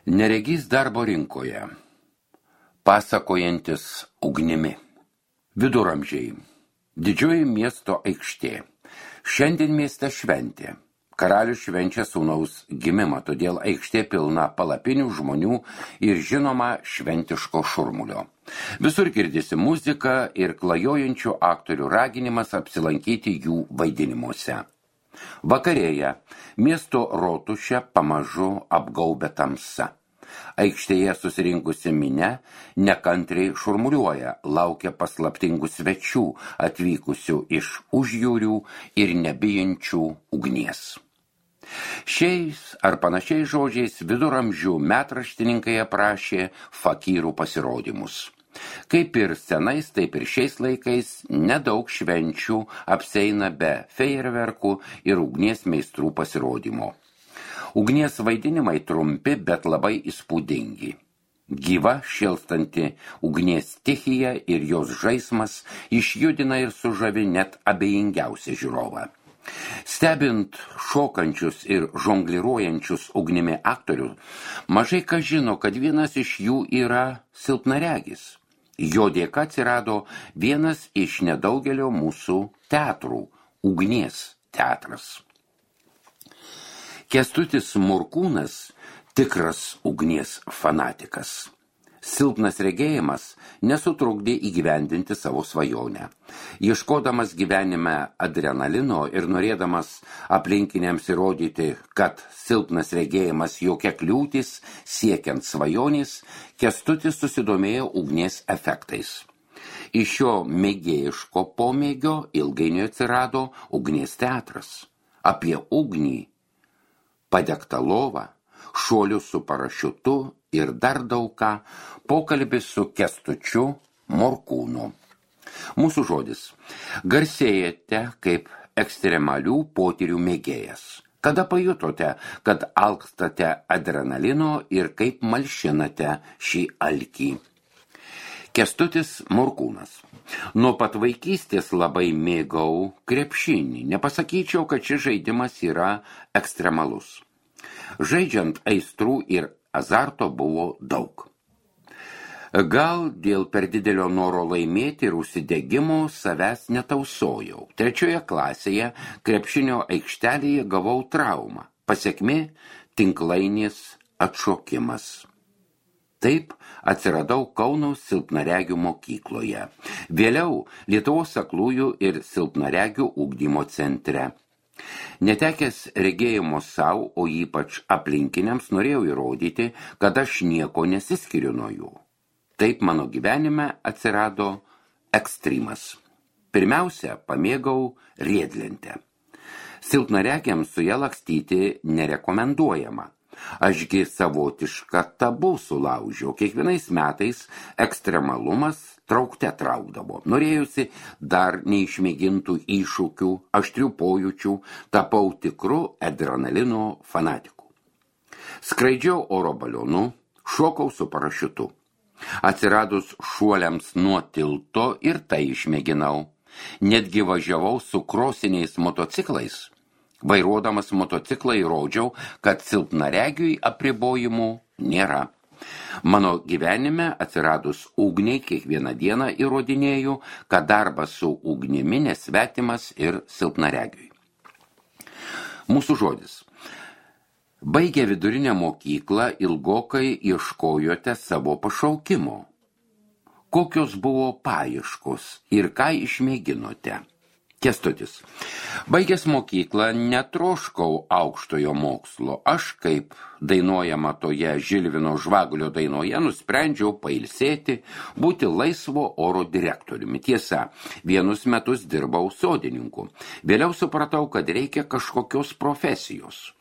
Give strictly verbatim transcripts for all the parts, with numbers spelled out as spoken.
Neregys darbo rinkoje, pasakojantis ugnimi. Viduramžiai, didžioji miesto aikštė. Šiandien mieste šventė. Karalius švenčia sūnaus gimimą, todėl aikštė pilna palapinių žmonių ir žinoma šventiško šurmulio. Visur girdisi muzika ir klajojančių aktorių raginimas apsilankyti jų vaidinimuose. Vakarėja miesto rotušę pamažu apgaubia tamsa. Aikštėje susirinkusi minia nekantriai šurmuliuoja, laukia paslaptingų svečių atvykusių iš užjūrių ir nebijančių ugnies. Šiais ar panašiais žodžiais viduramžių metraštininkai aprašė fakyrų pasirodymus. Kaip ir senais, taip ir šiais laikais nedaug švenčių apseina be fejerverkų ir ugnies meistrų pasirodymo. Ugnies vaidinimai trumpi, bet labai įspūdingi. Gyva, šėlstanti ugnies stichija ir jos žaismas išjudina ir sužavi net abejingiausią žiūrovą. Stebint šokančius ir žongliruojančius ugnimi aktorius, mažai kas žino, kad vienas iš jų yra silpnaregis. Jo dėka atsirado vienas iš nedaugelio mūsų teatrų – ugnies teatras. Kęstutis Morkūnas – tikras ugnies fanatikas. Silpnas regėjimas nesutrukdė įgyvendinti savo svajonę. Ieškodamas gyvenime adrenalino ir norėdamas aplinkiniams įrodyti, kad silpnas regėjimas jokia kliūtis siekiant svajonės, Kęstutis susidomėjo ugnies efektais. Iš šio mėgėjiško pomėgio ilgainiui atsirado ugnies teatras. Apie ugnį, padegtą lovą, šuolius su parašiutu ir dar daug ką, pokalbis su Kęstučiu Morkūnu. Mūsų žodis. Garsėjate kaip ekstremalių potyrių mėgėjas. Kada pajutote, kad alkstate adrenalino ir kaip malšinate šį alkį? Kęstutis Morkūnas. Nuo pat vaikystės labai mėgau krepšinį. Nepasakyčiau, kad šis žaidimas yra ekstremalus. Žaidžiant aistrų ir azarto buvo daug. Gal dėl per didelio noro laimėti ir užsidegimo savęs netausojau. Trečioje klasėje krepšinio aikštelėje gavau traumą. Pasekmė – tinklainės atšokimas. Taip atsiradau Kauno silpnaregių mokykloje. Vėliau Lietuvos aklųjų ir silpnaregių ugdymo centre. Netekęs regėjimo savo, o ypač aplinkiniams, norėjau įrodyti, kad aš nieko nesiskiriu nuo jų. Taip mano gyvenime atsirado ekstremas. Pirmiausia, pamėgau riedlentę. Silpnaregiams su ją lakstyti nerekomenduojama. Ašgi savotišką tabų sulaužiau. Kiekvienais metais ekstremalumas traukte traukdavo. Norėjusi dar neišmėgintų iššūkių, aštrių pojūčių, tapau tikru adrenalino fanatiku. Skraidžiau oro balionu, šokau su parašiutu. Atsiradus šuoliams nuo tilto ir tai išmėginau. Netgi važiavau su krosiniais motociklais. Vairuodamas motociklą įrodžiau, kad silpnaregiui apribojimų nėra. Mano gyvenime atsiradus ugniai kiekvieną dieną įrodinėjau, kad darbas su ugnimi nesvetimas ir silpnaregiui. Mūsų žodis. Baigę vidurinę mokyklą ilgokai ieškojote savo pašaukimo. Kokios buvo paieškos ir ką išmėginote? Kęstutis. Baigęs mokyklą netroškau aukštojo mokslo. Aš, kaip dainuojama toje Žilvino Žvagulio dainoje, nusprendžiau pailsėti, būti laisvo oro direktoriumi. Tiesa, vienus metus dirbau sodininku. Vėliau supratau, kad reikia kažkokios profesijos.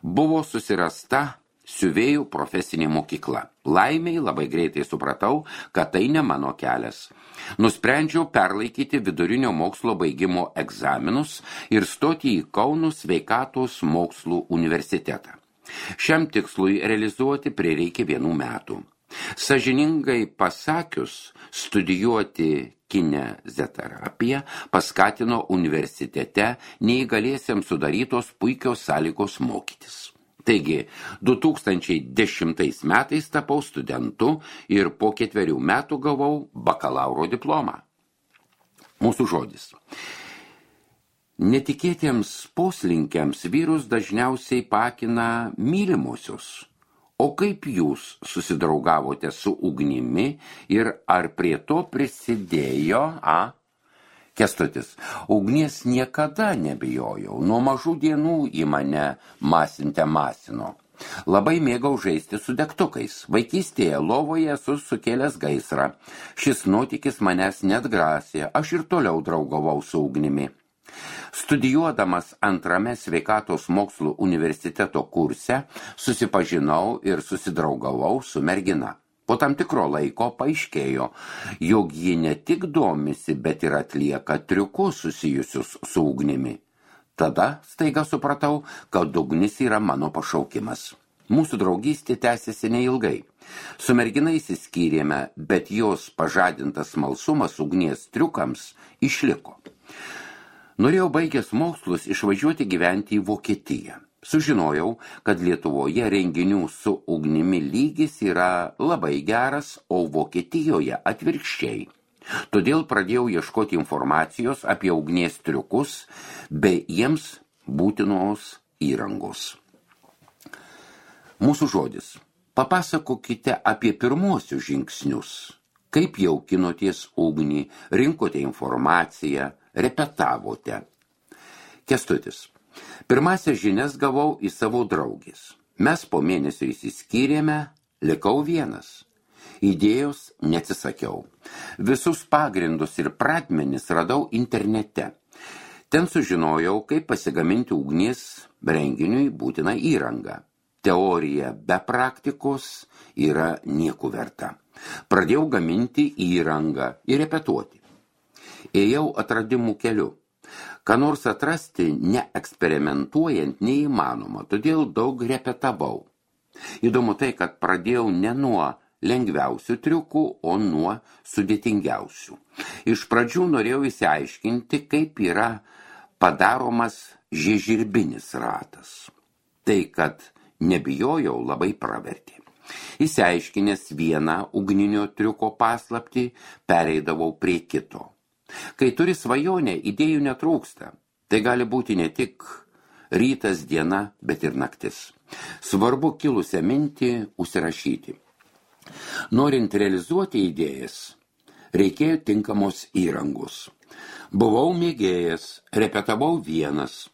Buvo susirasta siuvėjų profesinė mokykla. Laimiai labai greitai supratau, kad tai ne mano kelias. Nusprendžiau perlaikyti vidurinio mokslo baigimo egzaminus ir stoti į Kauno sveikatos mokslų universitetą. Šiam tikslui realizuoti prireikė vienų metų. Sąžiningai pasakius, studijuoti kineziterapiją paskatino universitete neįgaliesiems sudarytos puikios sąlygos mokytis. Taigi, du tūkstančiai dešimtais metais tapau studentu ir po ketverių metų gavau bakalauro diplomą. Mūsų žodis. Netikėtiems poslinkiams vyrus dažniausiai pakina mylimosios. O kaip jūs susidraugavote su ugnimi ir ar prie to prisidėjo, a? Kęstutis, ugnies niekada nebijojau, nuo mažų dienų į mane masinte masino. Labai mėgau žaisti su degtukais. Vaikystėje lovoje esu sukėlęs gaisrą. Šis nuotykis manęs neatgrasė, aš ir toliau draugavau su ugnimi. Studijuodamas antrame sveikatos mokslų universiteto kurse susipažinau ir susidraugavau su mergina. Po tam tikro laiko paaiškėjo, jog ji ne tik domisi, bet ir atlieka triukus susijusius su ugnimi. Tada staiga supratau, kad ugnis yra mano pašaukimas. Mūsų draugystė tęsiasi neilgai. Su mergina išsiskyrėme, bet jos pažadintas smalsumas ugnies triukams išliko. Norėjau baigęs mokslus išvažiuoti gyventi į Vokietiją. Sužinojau, kad Lietuvoje renginių su ugnimi lygis yra labai geras, o Vokietijoje atvirkščiai. Todėl pradėjau ieškoti informacijos apie ugnies triukus bei jiems būtinos įrangos. Mūsų žodis. Papasakokite apie pirmuosius žingsnius. Kaip jaukinotės ugnį, rinkote informaciją, repetavote. Kęstutis. Pirmąsias žinias gavau į savo draugės. Mes po mėnesio išsiskyrėme, likau vienas. Idėjos neatsisakiau. Visus pagrindus ir pradmenis radau internete. Ten sužinojau, kaip pasigaminti ugnies renginiui būtiną įrangą. Teorija be praktikos yra nieko verta. Pradėjau gaminti įrangą ir repetuoti. Ėjau atradimų keliu. Ką nors atrasti neeksperimentuojant neįmanoma, todėl daug repetavau. Įdomu tai, kad pradėjau ne nuo lengviausių triukų, o nuo sudėtingiausių. Iš pradžių norėjau įsiaiškinti, kaip yra padaromas žiežirbinis ratas. Tai, kad nebijojau, labai pravertė. Įsiaiškinęs vieną ugninio triuko paslaptį, pereidavau prie kito. Kai turi svajonę, idėjų netrūksta. Tai gali būti ne tik rytas, diena, bet ir naktis. Svarbu kilusią mintį užsirašyti. Norint realizuoti idėjas, reikėjo tinkamos įrangos. Buvau mėgėjas, repetavau vienas.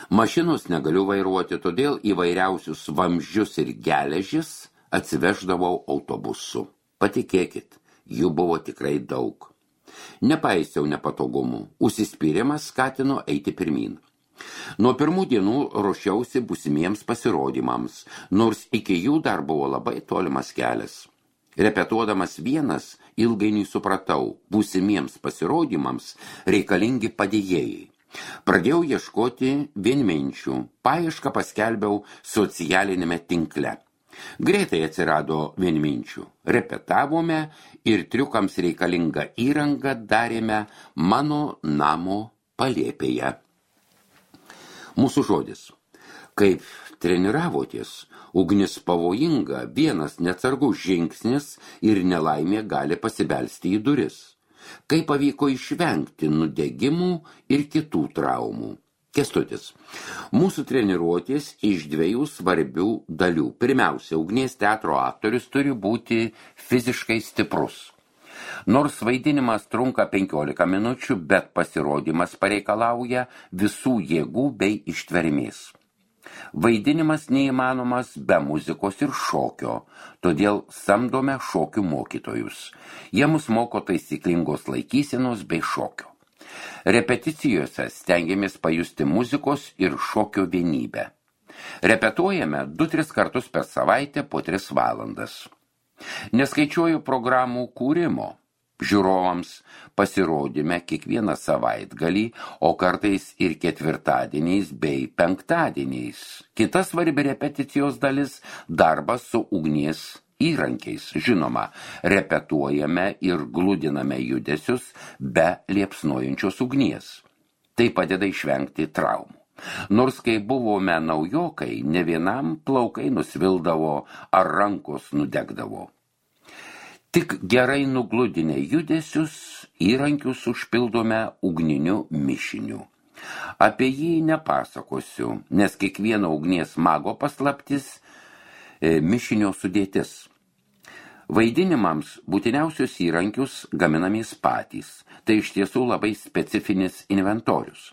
Mašinos negaliu vairuoti, todėl įvairiausius vamzdžius ir geležis atsiveždavau autobusu. Patikėkit, jų buvo tikrai daug. Nepaisiau nepatogumų, užsispyrimas skatino eiti pirmyn. Nuo pirmų dienų ruošiausi būsimiems pasirodymams, nors iki jų dar buvo labai tolimas kelias. Repetuodamas vienas, ilgainiui supratau, būsimiems pasirodymams reikalingi padėjėjai. Pradėjau ieškoti vienminčių, paiešką paskelbiau socialinėme tinkle. Greitai atsirado vienminčių. Repetavome ir triukams reikalingą įrangą darėme mano namo palėpėje. Mūsų žodis. Kaip treniravotės, ugnis pavojinga, vienas neatsargus žingsnis ir nelaimė gali pasibelsti į duris. Kaip pavyko išvengti nudegimų ir kitų traumų. Kęstutis. Mūsų treniruotės iš dviejų svarbių dalių. Pirmiausia, ugnies teatro aktorius turi būti fiziškai stiprus. Nors vaidinimas trunka penkiolika minučių, bet pasirodymas pareikalauja visų jėgų bei ištvermės. Vaidinimas neįmanomas be muzikos ir šokio, todėl samdome šokių mokytojus. Jie mus moko taisyklingos laikysenos bei šokio. Repeticijose stengiamės pajusti muzikos ir šokio vienybę. Repetuojame du tris kartus per savaitę po tris valandas. Neskaičiuoju programų kūrimo. Žiūrovams pasirodyme kiekvieną savaitgalį, o kartais ir ketvirtadieniais bei penktadieniais. Kita svarbi repeticijos dalis – darbas su ugnies įrankiais. Žinoma, repetuojame ir gludiname judesius be liepsnojančios ugnies. Tai padeda išvengti traumų. Nors kai buvome naujokai, ne vienam plaukai nusvildavo ar rankos nudegdavo. Tik gerai nugludinę judesius, įrankius užpildome ugniniu mišiniu. Apie jį nepasakosiu, nes kiekvieno ugnies mago paslaptis e, mišinio sudėtis. Vaidinimams būtiniausius įrankius gaminamės patys. Tai iš tiesų labai specifinis inventorius.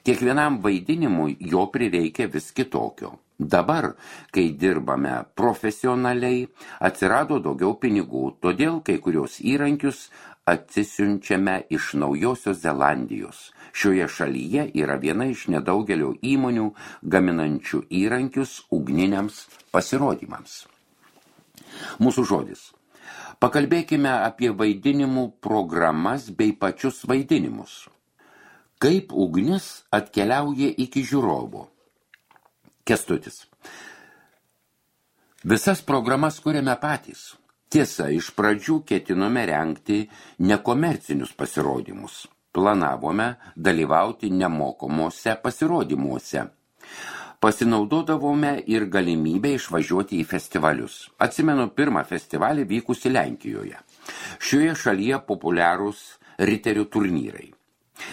Kiekvienam vaidinimui jo prireikia vis kitokio. Dabar, kai dirbame profesionaliai, atsirado daugiau pinigų, todėl kai kurios įrankius atsisiunčiame iš Naujosios Zelandijos. Šioje šalyje yra viena iš nedaugelio įmonių gaminančių įrankius ugniniams pasirodymams. Mūsų žodis. Pakalbėkime apie vaidinimų programas bei pačius vaidinimus. Kaip ugnis atkeliauja iki žiūrovo? Kęstutis. Visas programas kuriame patys. Tiesa, iš pradžių ketinome rengti nekomercinius pasirodymus. Planavome dalyvauti nemokamuose pasirodymuose. Pasinaudodavome ir galimybę išvažiuoti į festivalius. Atsimenu pirmą festivalį vykusi Lenkijoje. Šioje šalyje populiarūs riterių turnyrai.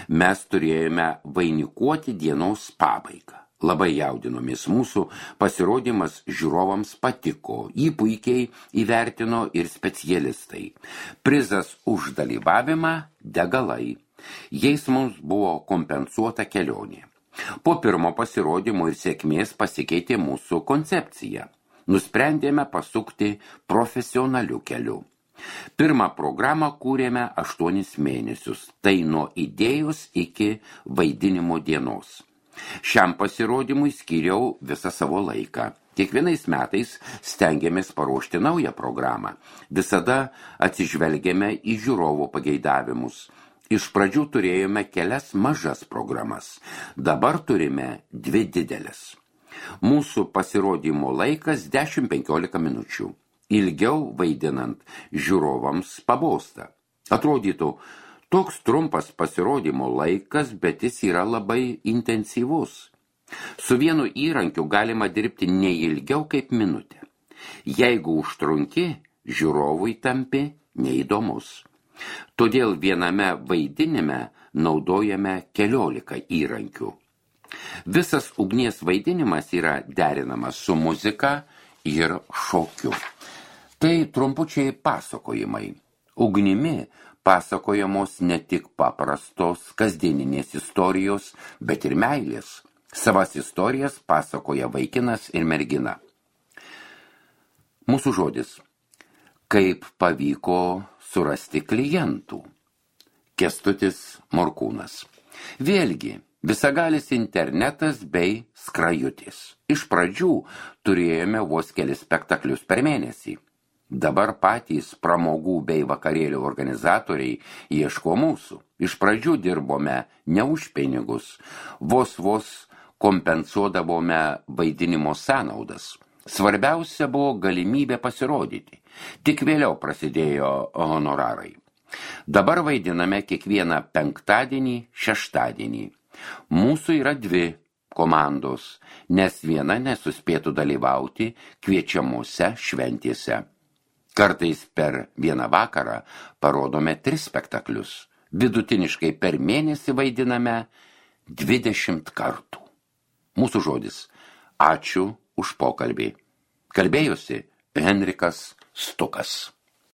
Mes turėjome vainikuoti dienos pabaigą. Labai jaudinomės, mūsų pasirodymas žiūrovams patiko, jį puikiai įvertino ir specialistai. Prizas už dalyvavimą – degalai. Jais mums buvo kompensuota kelionė. Po pirmo pasirodymo ir sėkmės pasikeitė mūsų koncepcija. Nusprendėme pasukti profesionaliu keliu. Pirmą programą kūrėme aštuonis mėnesius, tai nuo idėjos iki vaidinimo dienos. Šiam pasirodymui skyriau visą savo laiką. Kiekvienais metais stengiamės paruošti naują programą. Visada atsižvelgiame į žiūrovo pageidavimus. Iš pradžių turėjome kelias mažas programas. Dabar turime dvi didelės. Mūsų pasirodymo laikas dešimt penkiolika minučių. Ilgiau vaidinant žiūrovams pabosta. Atrodytų, toks trumpas pasirodymo laikas, bet jis yra labai intensyvus. Su vienu įrankiu galima dirbti ne ilgiau kaip minutę. Jeigu užtrunki, žiūrovui tampi neįdomus. Todėl viename vaidinime naudojame keliolika įrankių. Visas ugnies vaidinimas yra derinamas su muzika ir šokiu. Tai trumpučiai pasakojimai. Ugnimi pasakojamos ne tik paprastos kasdieninės istorijos, bet ir meilės. Savas istorijas pasakoja vaikinas ir mergina. Mūsų žodis. Kaip pavyko surasti klientų? Kęstutis Morkūnas. Vėlgi, visagalis internetas bei skrajutis. Iš pradžių turėjome vos kelis spektaklius per mėnesį. Dabar patys pramogų bei vakarėlių organizatoriai ieško mūsų. Iš pradžių dirbome ne už pinigus, vos vos kompensuodavome vaidinimo sąnaudas. Svarbiausia buvo galimybė pasirodyti. Tik vėliau prasidėjo honorarai. Dabar vaidiname kiekvieną penktadienį, šeštadienį. Mūsų yra dvi komandos, nes viena nesuspėtų dalyvauti kviečiamuose šventėse. Kartais per vieną vakarą parodome tris spektaklius. Vidutiniškai per mėnesį vaidiname dvidešimt kartų. Mūsų žodis. Ačiū už pokalbį. Kalbėjosi Henrikas Stukas.